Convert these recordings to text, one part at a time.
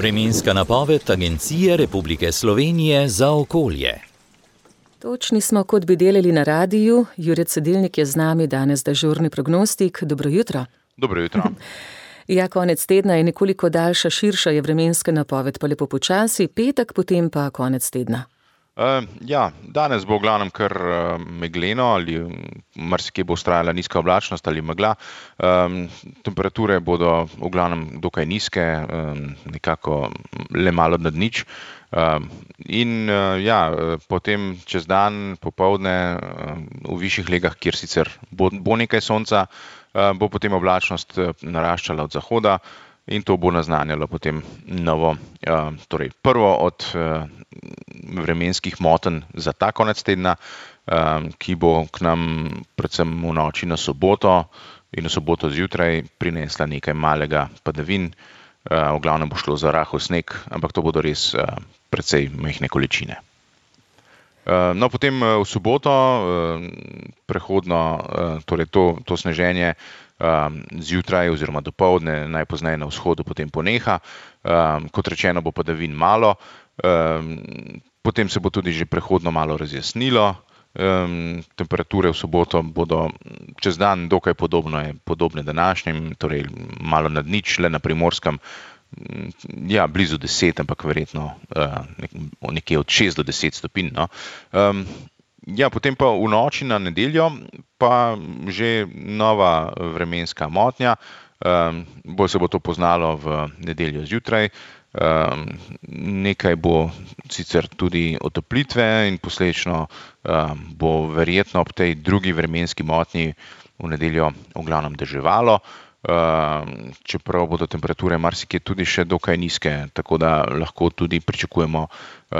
Vremenska napoved Agencije Republike Slovenije za okolje. Točni smo, kot bi delali na radiju. Jure Cedilnik je z nami, danes dežurni prognostik. Dobro jutro. Dobro jutro. Ja, konec tedna je nekoliko daljša, širša je vremenska napoved, pa lepo počasi, petek, potem pa konec tedna. Danes bo v glavnem kar megleno ali marsikje bo vztrajala nizka oblačnost ali megla. Temperature bodo v glavnem dokaj nizke, nekako le malo nad nič. Potem čez dan, popoldne v višjih legah, kjer sicer bo nekaj sonca, bo potem oblačnost naraščala od zahoda in to bo naznanjalo potem prvo od vremenskih motenj za ta konec tedna, ki bo k nam predvsem v noči na soboto in v soboto zjutraj prinesla nekaj malega padavin. V glavnem bo šlo za rahel sneg, ampak to bodo res precej majhne količine. Potem v soboto prehodno, to sneženje zjutraj oziroma dopoldne, najpozneje na vzhodu, potem poneha. Kot rečeno, bo padavin malo, potem se bo tudi že prehodno malo razjasnilo. Temperature v soboto bodo čez dan dokaj podobne današnjim, torej malo nad nič, le na Primorskem, blizu 10, ampak verjetno nekje od 6 do 10 stopinj. Potem pa v noči na nedeljo pa že nova vremenska motnja. Bolj se bo to poznalo v nedeljo zjutraj. Nekaj bo sicer tudi otoplitve in posledično bo verjetno ob tej drugi vremenski motnji v nedeljo v glavnem deževalo, čeprav bodo temperature marsikje tudi še dokaj nizke, tako da lahko tudi pričakujemo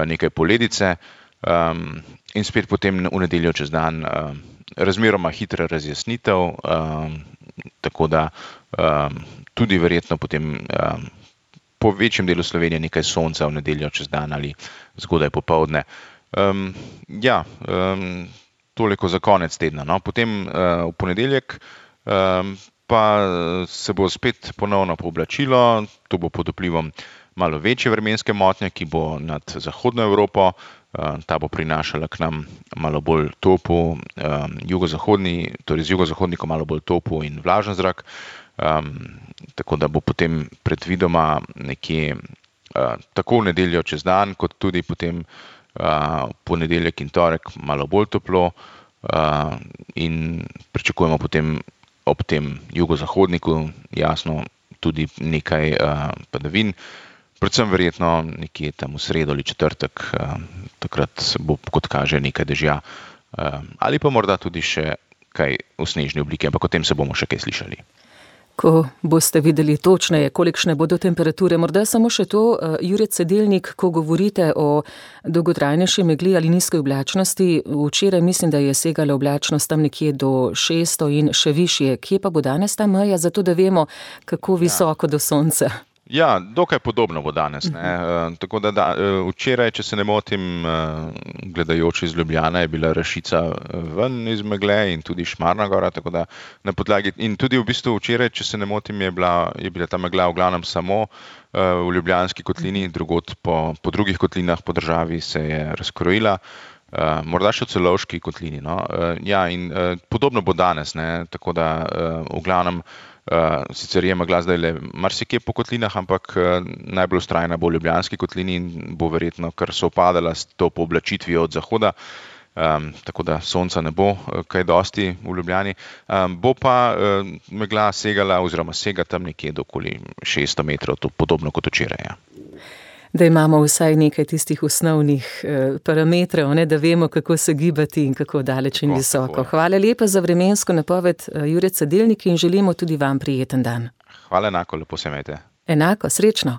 nekaj poledice. In spet potem v nedeljo čez dan razmeroma hitra razjasnitev, tako da tudi verjetno potem po večjem delu Slovenije nekaj sonca v nedeljo čez dan ali zgodaj popoldne. Toliko za konec tedna. Potem v ponedeljek pa se bo spet ponovno pooblačilo, to bo pod vplivom malo večje vremenske motnje, ki bo nad zahodno Evropo. Ta bo prinašala k nam malo bolj topu jugozahodni, torej z jugozahodnikom malo bolj topu in vlažen zrak. Tako da bo potem predvidoma nekje tako v nedeljo čez dan, kot tudi potem ponedeljek in torek malo bolj toplo, in pričakujemo potem ob tem jugozahodniku jasno tudi nekaj padavin. Predvsem verjetno nekje tam v sredo ali četrtek, takrat bo, kot kaže, nekaj dežja, ali pa morda tudi še kaj v snežni obliki, ampak o tem se bomo še kaj slišali. Ko boste videli točneje, kolikšne bodo temperature, morda samo še to, Jure Cedilnik, ko govorite o dolgotrajnejši megli ali nizkoj oblačnosti, včeraj mislim, da je segala oblačnost tam nekje do 600 in še višje. Kje pa bo danes ta meja, zato da vemo, kako visoko do sonca? Dokaj podobno bo danes, ne. Tako da včeraj, če se ne motim, gledajoč iz Ljubljane, je bila Rašica ven iz megle in tudi Šmarna gora, tako da na podlagi, in tudi v bistvu včeraj, če se ne motim, je bila ta megla v glavnem samo v Ljubljanski kotlini, drugod po drugih kotlinah po državi se je razkrojila, morda še v Celovški kotlini, in podobno bo danes, ne, tako da v glavnem sicer je megla zdaj le marsikje po kotlinah, ampak najbolj vztrajna bo v Ljubljanski kotlini in bo verjetno kar sovpadala s to pooblačitvijo od zahoda, tako da sonca ne bo kaj dosti v Ljubljani. Bo pa megla segala oziroma sega tam nekje do okoli 600 metrov, to podobno kot včeraj. Da imamo vsaj nekaj tistih osnovnih parametrov, da vemo, kako se gibati in kako daleč in visoko. Hvala lepa za vremensko napoved, Jure Cedilnik, in želimo tudi vam prijeten dan. Hvala enako, lepo se imejte. Enako, srečno.